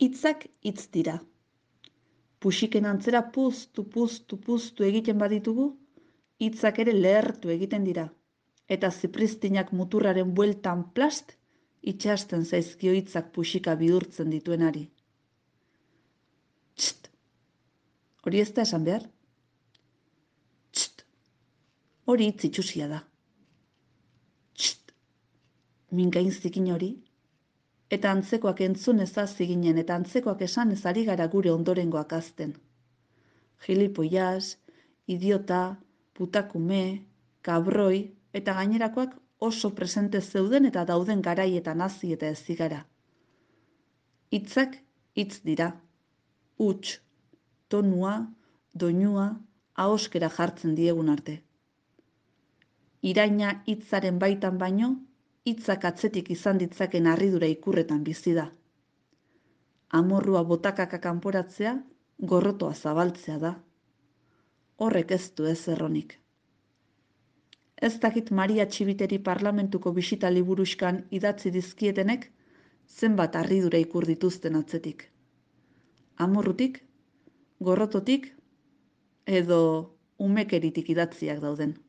Hitzak hitz dira. Puxiken antzera puztu egiten baditugu, hitzak ere lehertu egiten dira. Eta zipristinak muturraren bueltan plast, itxasten zaizkio hitzak puxika bihurtzen dituenari. Txt! Hori ez da esan behar? Txt! Hori hitz itxusia da. Txt! Mingain zikin hori? Eta antzekoak entzun ezazi ginen eta antzekoak esan ez ari gara gure ondorengoak azten. Gilipoiaz, idiota, putakume, kabroi eta gainerakoak oso presente zeuden eta dauden garaietan hazi eta ezigara. Hitzak hitz dira. Huts, tonua, doinua, ahoskera jartzen diegun arte. Iraina hitzaren baitan baino, hitzak atzetik izan ditzaken harridura ikurretan bizi da. Amorrua botakaka kanporatzea, gorrotoa zabaltzea da. Horrek ez du ez erronik. Ez dakit Maria Txibiteri parlamentuko bisita liburuskan idatzi dizkietenek, zenbat harridura ikur dituzten atzetik. Amorrutik, gorrototik, edo umekeritik idatziak dauden.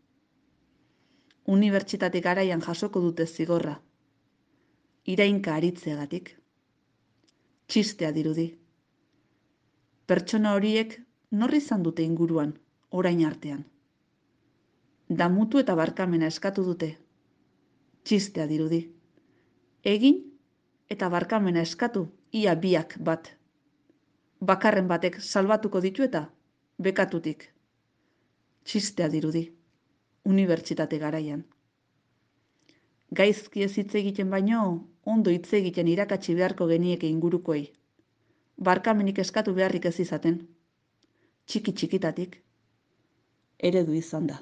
Unibertsitate garaian jasoko dute zigorra. Irainka aritzeagatik. Txistea dirudi. Pertsona horiek nor izan dute inguruan, orain artean. Damutu eta barkamena eskatu dute. Txistea dirudi. Egin eta barkamena eskatu, ia biak bat. Bakarren batek salbatuko ditu eta bekatutik. Txistea dirudi. Unibertsitate garaian. Gaizki ez hitz egiten baino, ondo hitz egiten irakatsi beharko genieke ingurukoei. Barkamenik eskatu beharrik ez izaten. Txiki-txikitatik. Eredu izan da.